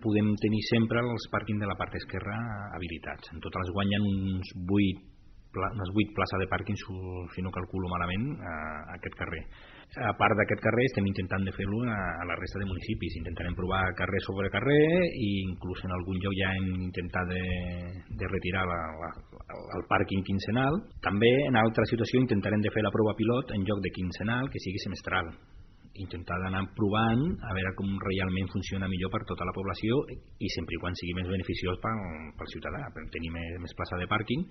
podem tenir sempre els pàrquings de la part esquerra habilitats. En total es guanyen unes 8 places de pàrquing, si no calculo malament, a aquest carrer. A part d'aquest carrer estem intentant de fer-lo a la resta de municipis. Intentarem provar carrer sobre carrer i inclús en algun lloc ja hem intentat de retirar el pàrquing quinzenal. També en altra situació intentarem de fer la prova pilot en lloc de quinzenal que sigui semestral. Intentar d'anar provant a veure com realment funciona millor per tota la població i sempre i quan sigui més beneficiós pel ciutadà, per tenir més plaça de pàrquing